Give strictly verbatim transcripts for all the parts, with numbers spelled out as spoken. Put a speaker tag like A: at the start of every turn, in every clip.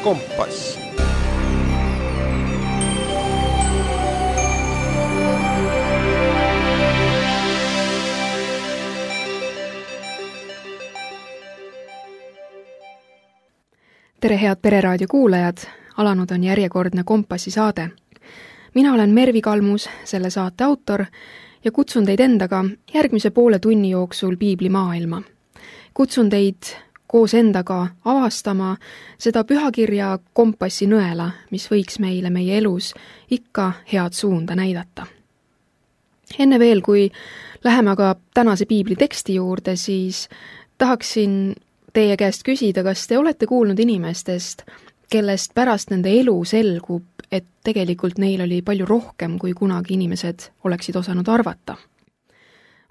A: Kompass.
B: Tere head Pereraadio kuulajad, alanud on järjekordne Kompassi saade. Mina olen Mervi Kalmus, selle saate autor, ja kutsun teid endaga järgmise poole tunni jooksul piibli maailma. Kutsun teid koos endaga avastama seda pühakirja kompassi nõela, mis võiks meile meie elus ikka head suunda näidata. Enne veel, kui läheme aga tänase piibli teksti juurde, siis tahaksin teie käest küsida, kas te olete kuulnud inimestest, kellest pärast nende elu selgub, et tegelikult neil oli palju rohkem, kui kunagi inimesed oleksid osanud arvata.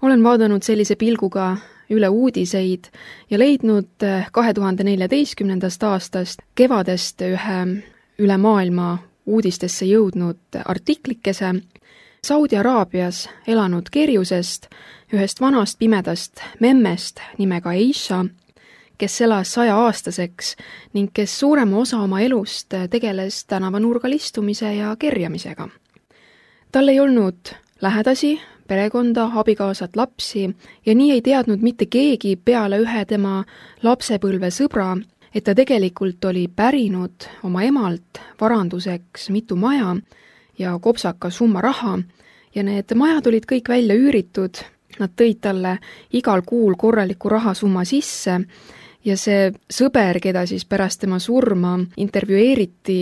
B: Olen vaadanud sellise pilguga üle uudiseid ja leidnud kahe tuhande neljateistkümnendast aastast kevadest ühe üle maailma uudistesse jõudnud artiklikese Saudi Araabias elanud kerjusest, ühest vanast pimedast memmest nimega Aisha, kes elas sajaaastaseks ning kes suurema osa oma elust tegeles tänavanurgal istumise ja kerjamisega. Tal ei olnud lähedasi, perekonda, abikaasat, lapsi ja nii ei teadnud mitte keegi peale ühe tema lapsepõlve sõbra, et ta tegelikult oli pärinud oma emalt varanduseks mitu maja ja kopsaka summa raha ja need majad olid kõik välja üüritud, nad tõid talle igal kuul korraliku rahasumma sisse ja see sõber, keda siis pärast tema surma intervjueeriti,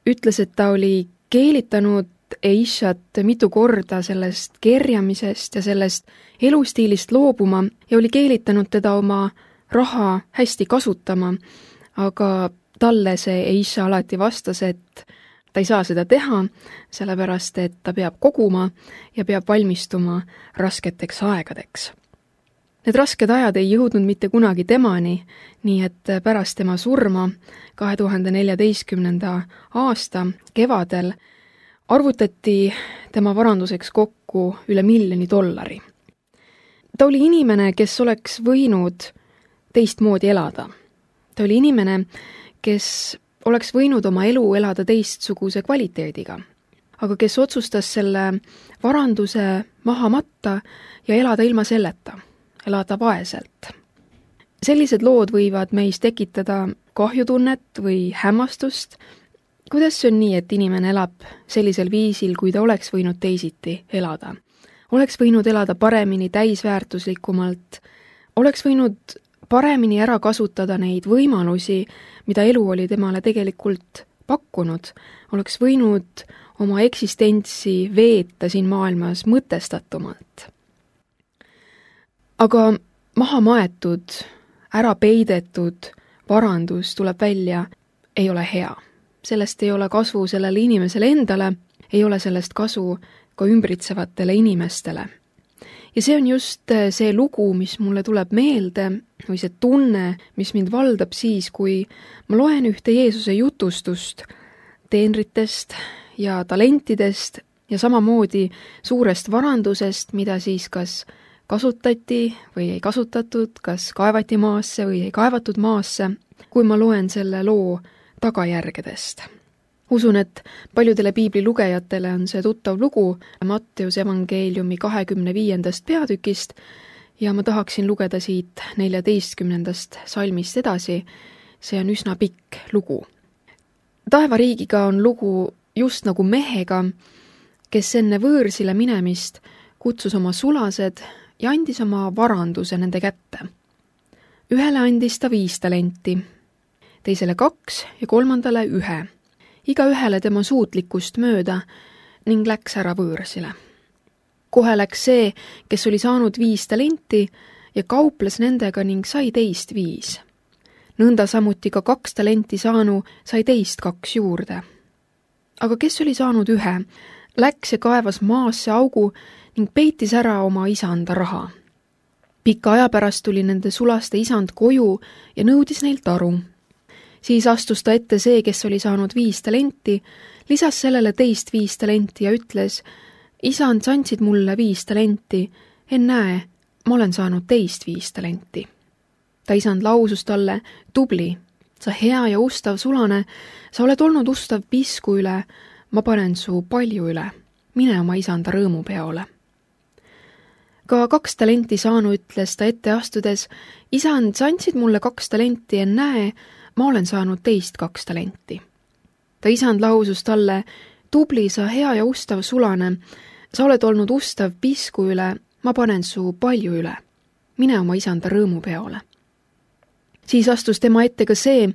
B: ütles, et ta oli keelitanud Aishat mitu korda sellest kerjamisest ja sellest elustiilist loobuma ja oli keelitanud teda oma raha hästi kasutama, aga talle see Aisha alati vastas, et ta ei saa seda teha, sellepärast et ta peab koguma ja peab valmistuma rasketeks aegadeks. Need rasked ajad ei jõudnud mitte kunagi temani, nii et pärast tema surma kahe tuhande neljateistkümnenda aasta kevadel arvutati tema varanduseks kokku üle miljoni dollari. Ta oli inimene, kes oleks võinud teistmoodi elada. Ta oli inimene, kes oleks võinud oma elu elada teistsuguse kvaliteediga, aga kes otsustas selle varanduse maha matta ja elada ilma selleta. Elada vaeselt. Sellised lood võivad meis tekitada kahjutunnet või hämmastust. Kuidas see on nii, et inimene elab sellisel viisil, kui ta oleks võinud teisiti elada? Oleks võinud elada paremini, täisväärtuslikumalt, oleks võinud paremini ära kasutada neid võimalusi, mida elu oli temale tegelikult pakkunud, oleks võinud oma eksistentsi veeta siin maailmas mõtestatumalt. Aga maha maetud, ära peidetud varandus tuleb välja, ei ole hea. Sellest ei ole kasu sellele inimesele endale, ei ole sellest kasu ka ümbritsevatele inimestele. Ja see on just see lugu, mis mulle tuleb meelde, või see tunne, mis mind valdab siis, kui ma loen ühte Jeesuse jutustust teenritest ja talentidest ja samamoodi suurest varandusest, mida siis kas kasutati või ei kasutatud, kas kaevati maasse või ei kaevatud maasse, kui ma loen selle loo tagajärgedest. Usun, et paljudele piibli lugejatele on see tuttav lugu Matteuse evangeeliumi kahekümne viiendast peatükist ja ma tahaksin lugeda siit neljateistkümnendast salmist edasi. See on üsna pikk lugu. Taevariigiga on lugu just nagu mehega, kes enne võõrsile minemist kutsus oma sulased ja andis oma varanduse nende kätte. Ühele andis ta viis talenti, teisele kaks ja kolmandale ühe, iga ühele tema suutlikkust mööda ning läks ära võõrsile. Kohe läks see, kes oli saanud viis talenti ja kauples nendega ning sai teist viis. Nõnda samuti ka kaks talenti saanu sai teist kaks juurde. Aga kes oli saanud ühe, läks ja kaevas maasse augu ning peitis ära oma isanda raha. Pika aja pärast tuli nende sulaste isand koju ja nõudis neilt aru. Siis astus ta ette see, kes oli saanud viis talenti, lisas sellele teist viis talenti ja ütles, isand, sa andsid mulle viis talenti, ennäe, ma olen saanud teist viis talenti. Ta isand lausus talle, tubli, sa hea ja ustav sulane, sa oled olnud ustav pisku üle, ma panen su palju üle, mine oma isanda rõõmupeole. Ka kaks talenti saanu ütles ta ette astudes, isand, sa andsid mulle kaks talenti ja näe, ma olen saanud teist kaks talenti. Ta isand lausus talle, tubli sa hea ja ustav sulane, sa oled olnud ustav pisku üle, ma panen su palju üle, mine oma isanda rõõmupeole. Siis astus tema ette ka see,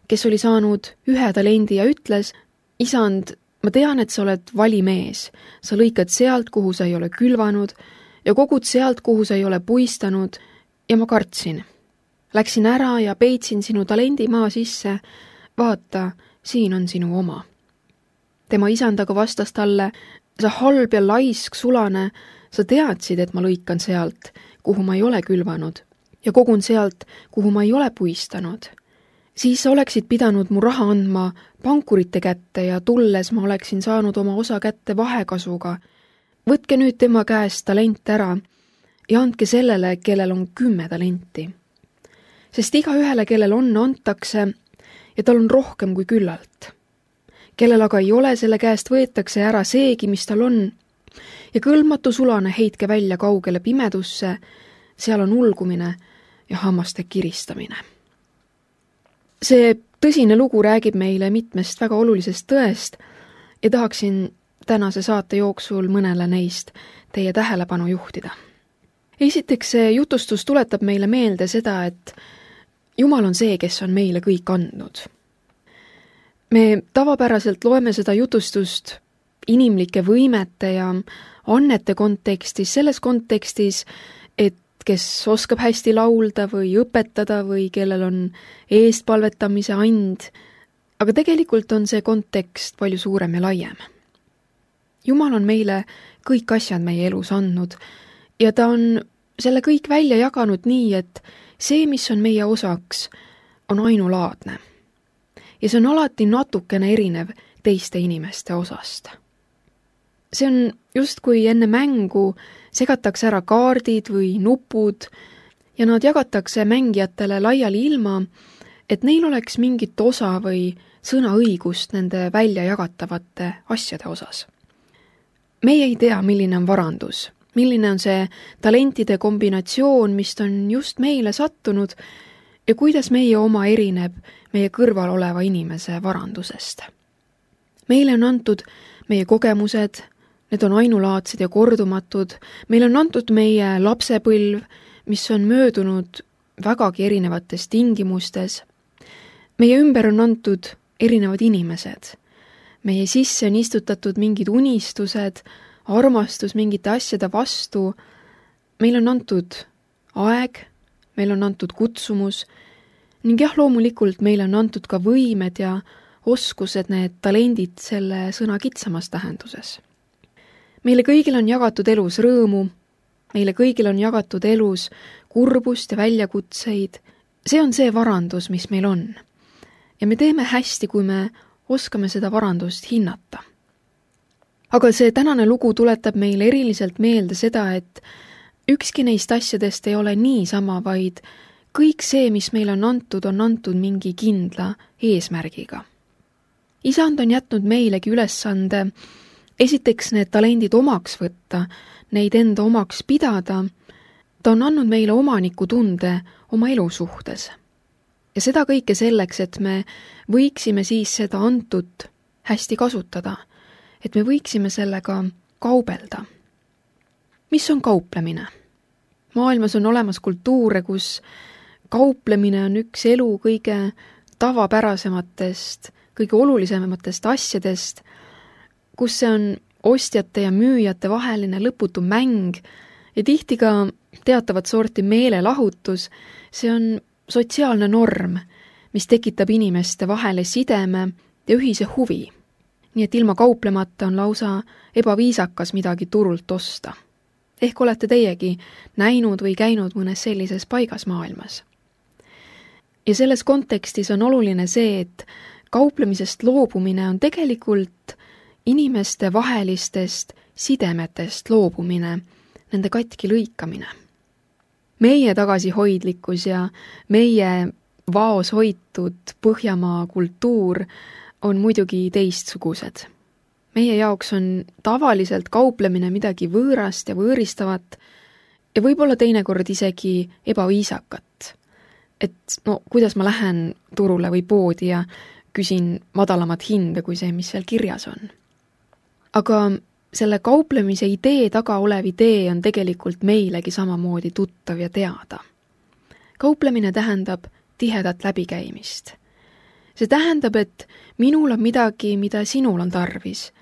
B: kes oli saanud ühe talendi ja ütles, isand, ma tean, et sa oled vali mees, sa lõikad sealt, kuhu sa ei ole külvanud, ja kogud sealt, kuhu sa ei ole puistanud, ja ma kartsin. Läksin ära ja peitsin sinu talendi maa sisse, vaata, siin on sinu oma. Tema isandaga vastas talle, sa halb ja laisk sulane, sa teadsid, et ma lõikan sealt, kuhu ma ei ole külvanud, ja kogun sealt, kuhu ma ei ole puistanud. Siis sa oleksid pidanud mu raha andma pankurite kätte ja tulles ma oleksin saanud oma osa kätte vahekasuga. Võtke nüüd tema käest talent ära ja andke sellele, kellel on kümme talenti. Sest iga ühele, kellel on, antakse ja tal on rohkem kui küllalt. Kellel aga ei ole, selle käest võetakse ära seegi, mis tal on. Ja kõlmatu sulane heitke välja kaugele pimedusse, seal on ulgumine ja hammaste kiristamine. See tõsine lugu räägib meile mitmest väga olulisest tõest ja tahaksin tänase saate jooksul mõnele neist teie tähelepanu juhtida. Esiteks, see jutustus tuletab meile meelde seda, et Jumal on see, kes on meile kõik andnud. Me tavapäraselt loeme seda jutustust inimlike võimete ja annete kontekstis, selles kontekstis, et kes oskab hästi laulda või õpetada või kellel on eestpalvetamise and, aga tegelikult on see kontekst palju suurem ja laiem. Jumal on meile kõik asjad meie elus andnud ja ta on selle kõik välja jaganud nii, et see, mis on meie osaks, on ainulaadne. Ja see on alati natukene erinev teiste inimeste osast. See on just kui enne mängu segatakse ära kaardid või nupud ja nad jagatakse mängijatele laiali ilma, et neil oleks mingit osa või sõnaõigust nende välja jagatavate asjade osas. Meie ei tea, milline on varandus, milline on see talentide kombinatsioon, mis on just meile sattunud ja kuidas meie oma erineb meie kõrval oleva inimese varandusest. Meile on antud meie kogemused, need on ainulaadsed ja kordumatud, meil on antud meie lapsepõlv, mis on möödunud vägagi erinevates tingimustes. Meie ümber on antud erinevad inimesed. Meie sisse on istutatud mingid unistused, armastus mingite asjade vastu. Meil on antud aeg, meil on antud kutsumus ning jah, loomulikult meil on antud ka võimed ja oskused, need talendid selle sõna kitsamas tähenduses. Meile kõigil on jagatud elus rõõmu, meile kõigil on jagatud elus kurbust ja väljakutseid. See on see varandus, mis meil on. Ja me teeme hästi, kui me oskame seda varandust hinnata. Aga see tänane lugu tuletab meile eriliselt meelde seda, et ükski neist asjadest ei ole niisama, vaid kõik see, mis meil on antud, on antud mingi kindla eesmärgiga. Isand on jätnud meilegi ülesande esiteks need talendid omaks võtta, neid enda omaks pidada. Ta on andnud meile omaniku tunde oma elu suhtes. Ja seda kõike selleks, et me võiksime siis seda antut hästi kasutada, et me võiksime sellega kaubelda. Mis on kauplemine? Maailmas on olemas kultuure, kus kauplemine on üks elu kõige tavapärasematest, kõige olulisematest asjadest, kus see on ostjate ja müüjate vaheline lõputu mäng ja tihti ka teatavat sorti meelelahutus. See on sotsiaalne norm, mis tekitab inimeste vahele sideme ja ühise huvi. Nii et ilma kauplemata on lausa ebaviisakas midagi turult osta. Ehk olete teiegi näinud või käinud mõnes sellises paigas maailmas. Ja selles kontekstis on oluline see, et kauplemisest loobumine on tegelikult inimeste vahelistest sidemetest loobumine, nende katki lõikamine. Meie tagasihoidlikkus ja meie vaos hoitud Põhjamaa kultuur on muidugi teistsugused. Meie jaoks on tavaliselt kauplemine midagi võõrast ja võõristavat ja võib-olla teinekord isegi ebaviisakat. Et no, kuidas ma lähen turule või poodi ja küsin madalamat hinda kui see, mis seal kirjas on. Aga selle kauplemise idee taga olev idee on tegelikult meilegi samamoodi tuttav ja teada. Kauplemine tähendab tihedat läbikäimist. See tähendab, et minul on midagi, mida sinul on tarvis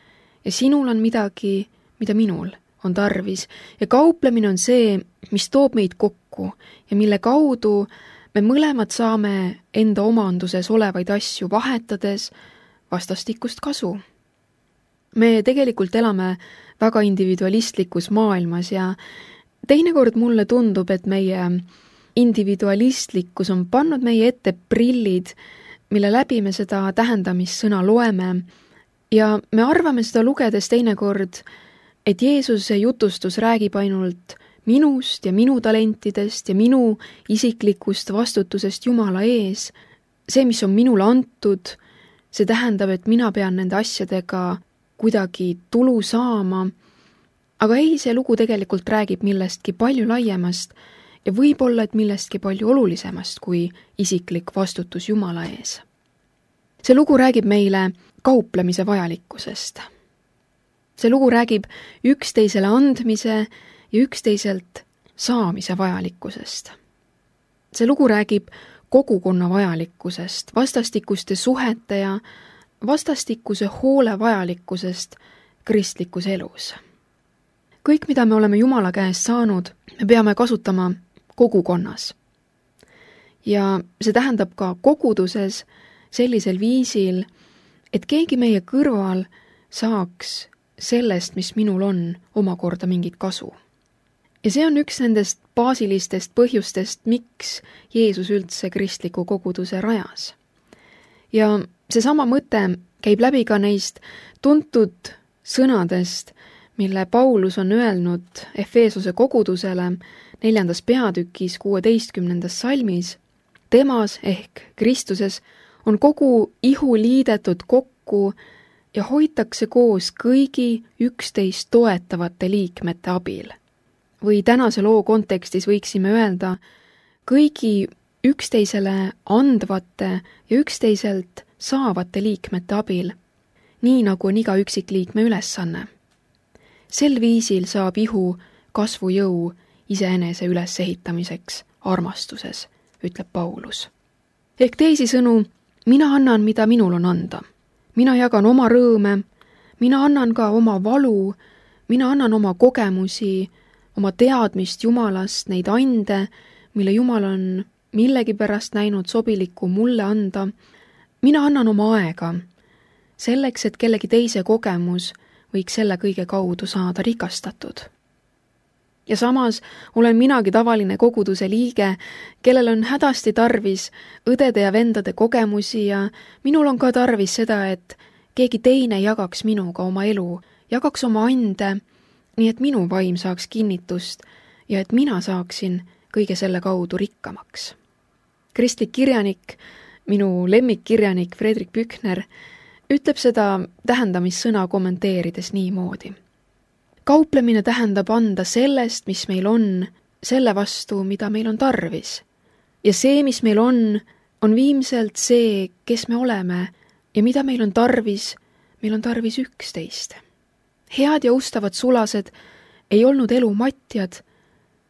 B: ja sinul on midagi, mida minul on tarvis ja kauplemine on see, mis toob meid kokku ja mille kaudu me mõlemad saame enda omanduses olevaid asju vahetades vastastikust kasu. Me tegelikult elame väga individualistlikus maailmas ja teinekord mulle tundub, et meie individualistlikkus on pannud meie ette prillid, mille läbi me seda tähendamissõna loeme ja me arvame seda lugedes teinekord, et Jeesuse jutustus räägib ainult minust ja minu talentidest ja minu isiklikust vastutusest Jumala ees. See, mis on minule antud, see tähendab, et mina pean nende asjadega kuidagi tulu saama, aga ei, see lugu tegelikult räägib millestki palju laiemast ja võib-olla, et millestki palju olulisemast kui isiklik vastutus Jumala ees. See lugu räägib meile kauplemise vajalikkusest. See lugu räägib üksteisele andmise ja üksteiselt saamise vajalikkusest. See lugu räägib kogukonna vajalikkusest, vastastikuste suhete ja vastastikuse hoole vajalikkusest kristlikus elus. Kõik, mida me oleme Jumala käest saanud, me peame kasutama kogukonnas. Ja see tähendab ka koguduses sellisel viisil, et keegi meie kõrval saaks sellest, mis minul on, omakorda mingit kasu. Ja see on üks nendest baasilistest põhjustest, miks Jeesus üldse kristliku koguduse rajas. Ja seesama mõte käib läbi ka neist tuntud sõnadest, mille Paulus on öelnud Efeesose kogudusele neljandas peatükis kuueteistkümnendas salmis. Temas ehk Kristuses on kogu ihu liidetud kokku ja hoitakse koos kõigi üksteist toetavate liikmete abil. Või tänase loo kontekstis võiksime öelda kõigi üksteisele andvate ja üksteiselt saavate liikmete abil, nii nagu on iga üksikliikme ülesanne. Sel viisil saab ihu kasvujõu iseenese ülesehitamiseks armastuses, ütleb Paulus. Ehk teisisõnu, mina annan, mida minul on anda. Mina jagan oma rõõme, mina annan ka oma valu, mina annan oma kogemusi, oma teadmist Jumalast, neid ande, mille Jumal on millegipärast näinud sobiliku mulle anda. Mina annan oma aega, selleks, et kellegi teise kogemus võiks selle kõige kaudu saada rikastatud. Ja samas olen minagi tavaline koguduse liige, kellel on hädasti tarvis õdede ja vendade kogemusi ja minul on ka tarvis seda, et keegi teine jagaks minuga oma elu, jagaks oma ande, nii et minu vaim saaks kinnitust ja et mina saaksin kõige selle kaudu rikkamaks. Kristlik kirjanik, minu lemmikkirjanik Fredrik Pükner, ütleb seda tähendamissõna kommenteerides niimoodi. Kauplemine tähendab anda sellest, mis meil on, selle vastu, mida meil on tarvis. Ja see, mis meil on, on viimselt see, kes me oleme ja mida meil on tarvis, meil on tarvis üksteist. Head ja ustavad sulased ei olnud elu matjad,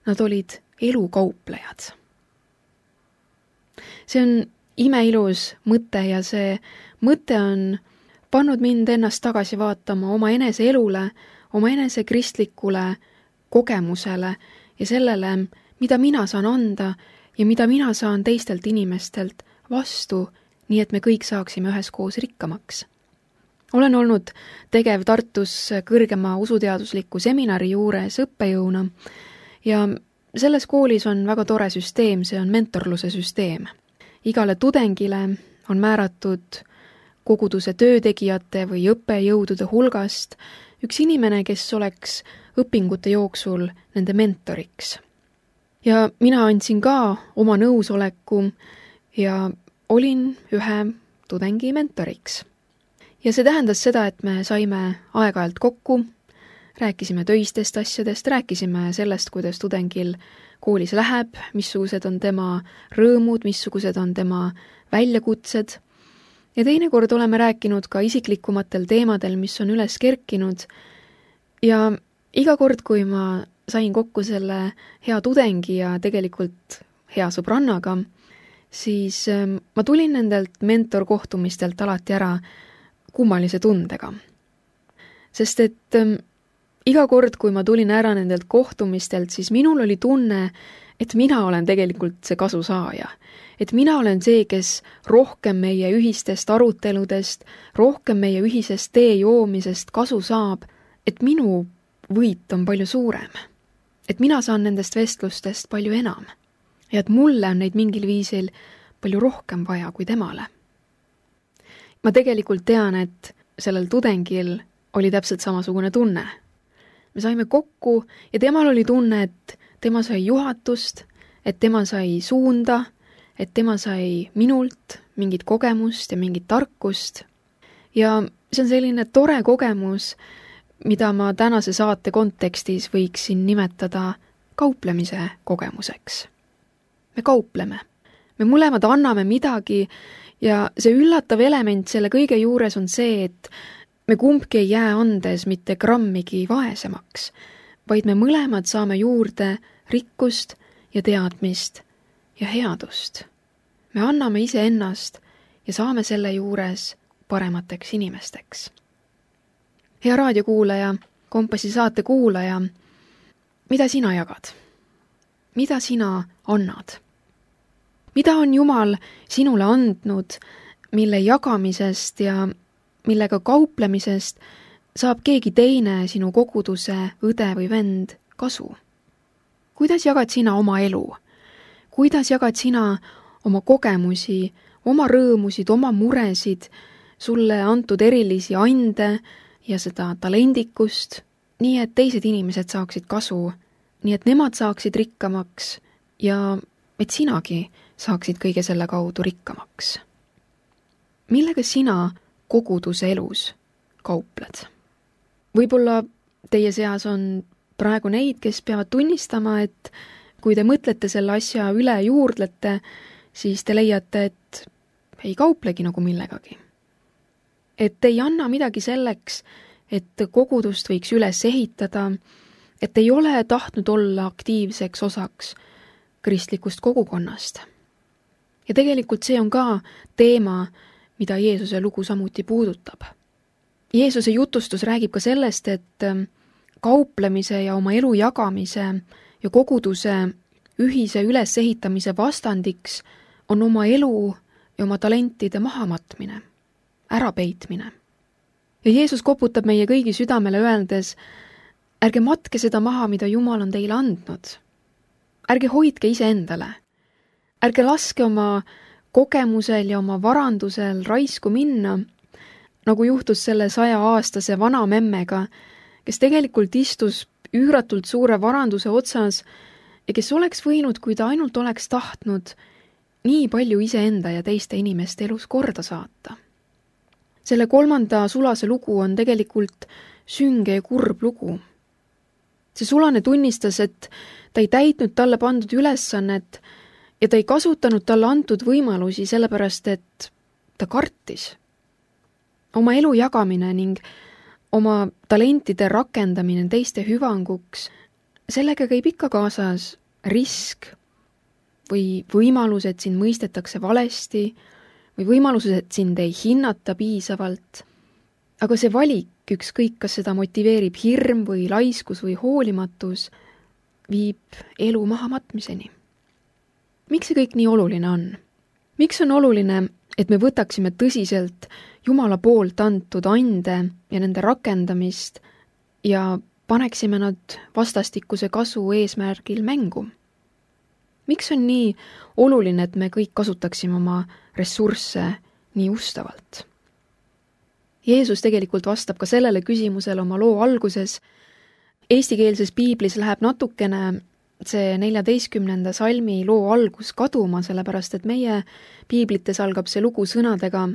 B: nad olid elukauplejad. See on imeilus mõte ja see mõte on pannud mind ennast tagasi vaatama oma enese elule, oma enese kristlikule kogemusele ja sellele, mida mina saan anda ja mida mina saan teistelt inimestelt vastu, nii et me kõik saaksime üheskoos rikkamaks. Olen olnud tegev Tartus kõrgema usuteadusliku seminari juures õppejõuna ja selles koolis on väga tore süsteem, see on mentorluse süsteem. Igale tudengile on määratud koguduse töötegijate või õppejõudude hulgast üks inimene, kes oleks õpingute jooksul nende mentoriks. Ja mina andsin ka oma nõusoleku ja olin ühe tudengi mentoriks. Ja see tähendas seda, et me saime aeg-ajalt kokku, rääkisime töistest asjadest, rääkisime sellest, kuidas tudengil koolis läheb, missugused on tema rõõmud, missugused on tema väljakutsed. Ja teinekord oleme rääkinud ka isiklikumatel teemadel, mis on üles kerkinud. Ja iga kord, kui ma sain kokku selle hea tudengi ja tegelikult hea sõbrannaga, siis ma tulin nendelt mentorkohtumistelt alati ära kummalise tundega. Sest et iga kord, kui ma tulin ära nendelt kohtumistelt, siis minul oli tunne, et mina olen tegelikult see kasusaaja. Et mina olen see, kes rohkem meie ühistest aruteludest, rohkem meie ühisest tee joomisest kasu saab, et minu võit on palju suurem. Et mina saan nendest vestlustest palju enam. Ja et mulle on neid mingil viisil palju rohkem vaja kui temale. Ma tegelikult tean, et sellel tudengil oli täpselt samasugune tunne. Me saime kokku ja temal oli tunne, et tema sai juhatust, et tema sai suunda, et tema sai minult mingit kogemust ja mingit tarkust. Ja see on selline tore kogemus, mida ma tänase saate kontekstis võiksin nimetada kauplemise kogemuseks. Me kaupleme. Me mõlemad anname midagi ja see üllatav element selle kõige juures on see, et me kumbki ei jää andes mitte grammigi vaesemaks, vaid me mõlemad saame juurde rikkust ja teadmist ja headust. Me anname iseennast ja saame selle juures paremateks inimesteks. Hea raadiokuulaja, Kompassi saate kuulaja, mida sina jagad? Mida sina annad? Mida on Jumal sinule andnud, mille jagamisest ja millega kauplemisest saab keegi teine sinu koguduse õde või vend kasu? Kuidas jagad sina oma elu? Kuidas jagad sina oma kogemusi, oma rõõmusid, oma muresid, sulle antud erilisi ande ja seda talendikust, nii et teised inimesed saaksid kasu, nii et nemad saaksid rikkamaks ja et sinagi saaksid kõige selle kaudu rikkamaks? Millega sina koguduse elus kaupled? Võib-olla teie seas on praegu neid, kes peavad tunnistama, et kui te mõtlete selle asja üle juurdlete, siis te leiate, et ei kauplegi nagu millegagi. Et ei anna midagi selleks, et kogudust võiks üles ehitada, et ei ole tahtnud olla aktiivseks osaks kristlikust kogukonnast. Ja tegelikult see on ka teema, mida Jeesuse lugu samuti puudutab. Jeesuse jutustus räägib ka sellest, et kauplemise ja oma elu jagamise ja koguduse ühise ülesehitamise vastandiks on oma elu ja oma talentide mahamatmine, ärapeitmine. Ja Jeesus koputab meie kõigi südamele öeldes, ärge matke seda maha, mida Jumal on teile andnud. Ärge hoidke iseendale. Ärge laske oma kogemusel ja oma varandusel raisku minna, nagu juhtus selle saja aastase vana memmega, kes tegelikult istus üüratult suure varanduse otsas ja kes oleks võinud, kui ta ainult oleks tahtnud, nii palju iseenda ja teiste inimeste elus korda saata. Selle kolmanda sulase lugu on tegelikult sünge ja kurb lugu. See sulane tunnistas, et ta ei täitnud talle pandud ülesannet ja ta ei kasutanud talle antud võimalusi sellepärast, et ta kartis. Oma elu jagamine ning oma talentide rakendamine teiste hüvanguks, sellega käib ikka kaasas risk või võimalus, et sind mõistetakse valesti või võimalus, et sind ei hinnata piisavalt. Aga see valik, ükskõik kas seda motiveerib hirm või laiskus või hoolimatus, viib elu mahamatmiseni. Miks see kõik nii oluline on? Miks on oluline, et me võtaksime tõsiselt Jumala poolt antud ande ja nende rakendamist ja paneksime nad vastastikuse kasu eesmärgil mängu? Miks on nii oluline, et me kõik kasutaksime oma ressursse nii ustavalt? Jeesus tegelikult vastab ka sellele küsimusele oma loo alguses. Eestikeelses piiblis läheb natukene see neljateistkümnenda salmi loo algus kaduma, sellepärast et meie piiblites algab see lugu sõnadega,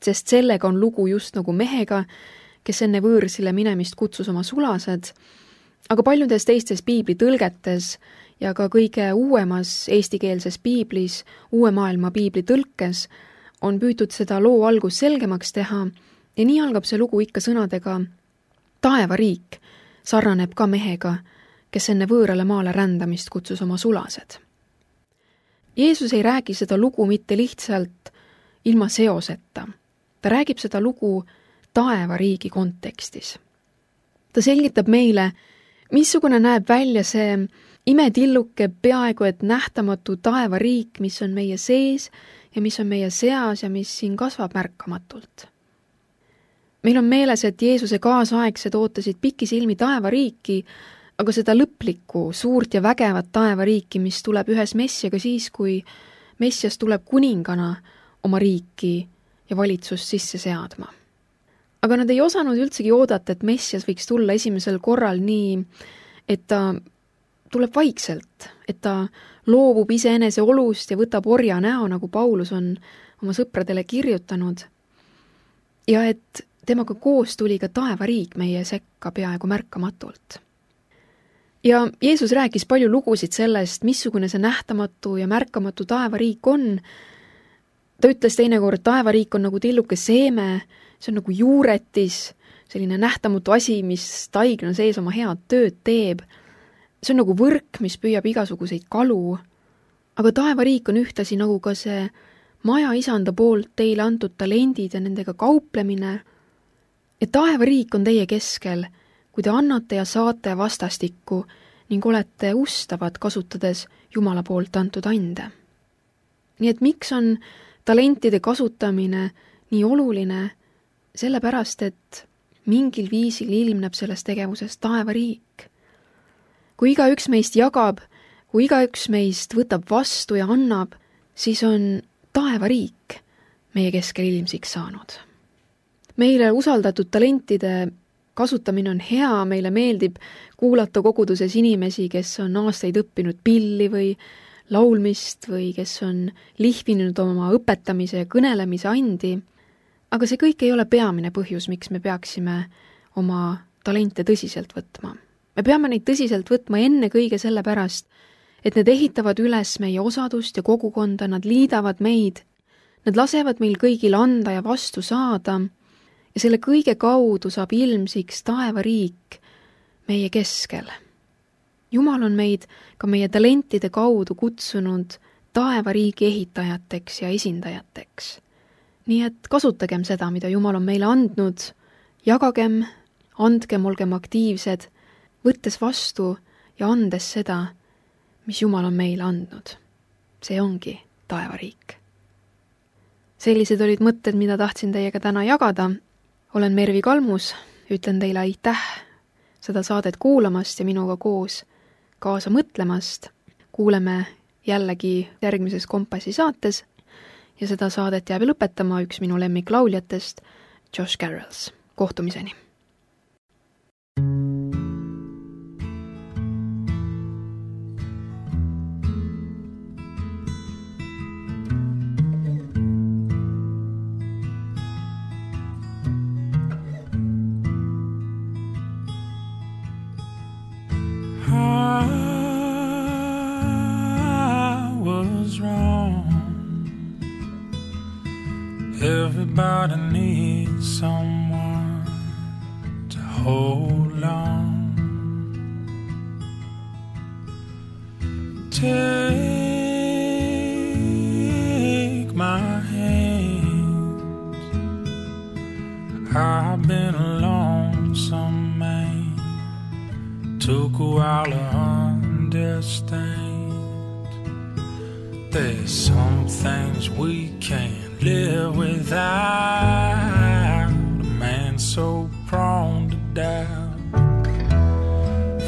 B: sest sellega on lugu just nagu mehega, kes enne võõrsile minemist kutsus oma sulased, aga paljudes teistes piibli tõlgetes ja ka kõige uuemas eestikeelses piiblis, uue maailma piibli tõlkes, on püütud seda loo algus selgemaks teha ja nii algab see lugu ikka sõnadega taevariik sarnaneb ka mehega, kes enne võõrale maale rändamist kutsus oma sulased. Jeesus ei räägi seda lugu mitte lihtsalt ilma seoseta. Ta räägib seda lugu taevariigi kontekstis. Ta selgitab meile, missugune näeb välja see imetilluke peaaegu et nähtamatu taevariik, mis on meie sees ja mis on meie seas ja mis siin kasvab märkamatult. Meil on meeles, et Jeesuse kaasaegsed ootasid pikisilmi taevariiki, aga seda lõplikku, suurt ja vägevat taevariiki, mis tuleb ühes messiaga siis, kui messias tuleb kuningana oma riiki ja valitsust sisse seadma. Aga nad ei osanud üldsegi oodata, et messias võiks tulla esimesel korral nii, et ta tuleb vaikselt, et ta loobub iseenese olust ja võtab orja näo, nagu Paulus on oma sõpradele kirjutanud, ja et temaga koos tuli ka taevariik meie sekka peaaegu märkamatult. Ja Jeesus rääkis palju lugusid sellest, missugune see nähtamatu ja märkamatu taevariik on. Ta ütles teinekord, taevariik on nagu tilluke seeme, see on nagu juuretis, selline nähtamatu asi, mis taigna sees oma head tööd teeb. See on nagu võrk, mis püüab igasuguseid kalu. Aga taevariik on ühtasi nagu ka see maja isanda poolt teile antud talendid ja nendega kauplemine. Ja taevariik on teie keskel, kui te annate ja saate vastastikku ning olete ustavad, kasutades Jumala poolt antud ande. Nii et miks on talentide kasutamine nii oluline? Sellepärast, et mingil viisil ilmneb selles tegevuses taevariik. Kui igaüks meist jagab, kui igaüks meist võtab vastu ja annab, siis on taevariik meie keskel ilmsiks saanud. Meile usaldatud talentide kasutamine on hea, meile meeldib kuulata koguduses inimesi, kes on aastaid õppinud pilli või laulmist või kes on lihvinud oma õpetamise ja kõnelemise andi, aga see kõik ei ole peamine põhjus, miks me peaksime oma talente tõsiselt võtma. Me peame neid tõsiselt võtma enne kõige selle pärast, et need ehitavad üles meie osadust ja kogukonda, nad liidavad meid, nad lasevad meil kõigil anda ja vastu saada, ja selle kõige kaudu saab ilmsiks taevariik meie keskel. Jumal on meid ka meie talentide kaudu kutsunud taevariigi ehitajateks ja esindajateks. Nii et kasutagem seda, mida Jumal on meile andnud, jagagem, andgem, olgem aktiivsed, võttes vastu ja andes seda, mis Jumal on meile andnud. See ongi taevariik. Sellised olid mõtted, mida tahtsin teiega täna jagada. Olen Mervi Kalmus, ütlen teile aitäh seda saadet kuulamast ja minuga koos kaasa mõtlemast. Kuuleme jällegi järgmises Kompassi saates ja seda saadet jääb lõpetama üks minu lemmiklauljatest, Josh Carrolls. Kohtumiseni!
A: Everybody needs someone to hold on. Take my hand. I've been a lonesome man. Took a while to understand. There's some things we can't live without, a man so prone to doubt,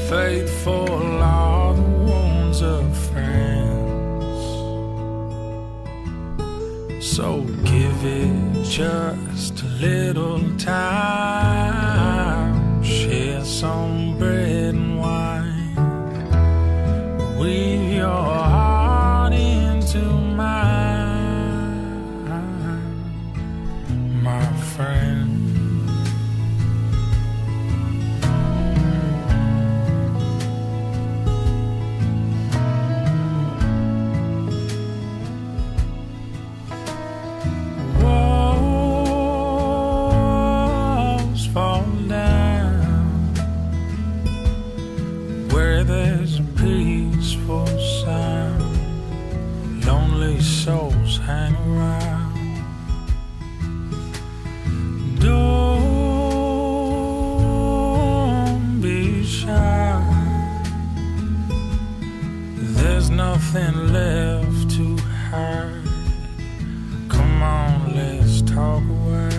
A: faithful are the wounds of friends, so give it just a little time, share some bread and wine, we there's a peaceful sound, lonely souls hang around. Don't be shy, there's nothing left to hide. Come on, let's talk away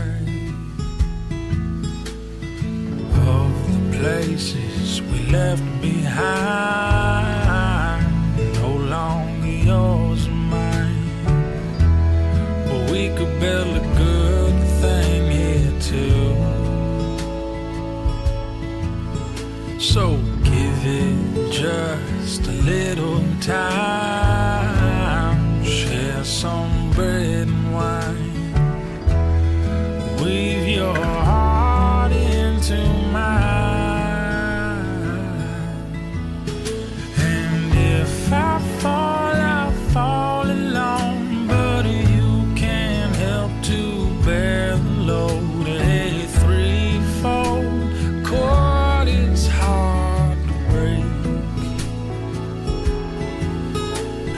A: of the places we left behind, no longer yours or mine. But we could build a good thing here too. So give it just a little time, share some bread and wine, weave your heart into mine. And if I fall, I fall alone, but you can't help to bear the load. A threefold chord is hard to break,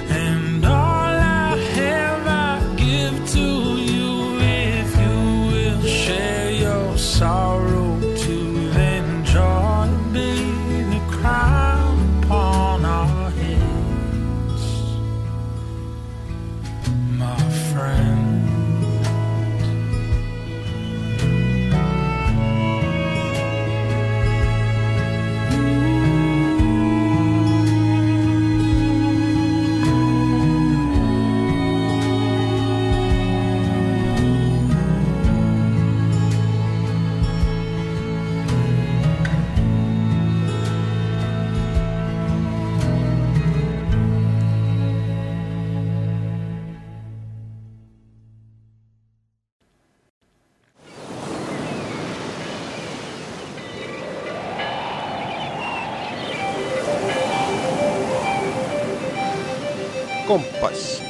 A: and all I have I give to you. If you will share your sorrow too, then joy be the crown upon our heads, my friend.
C: Kompass.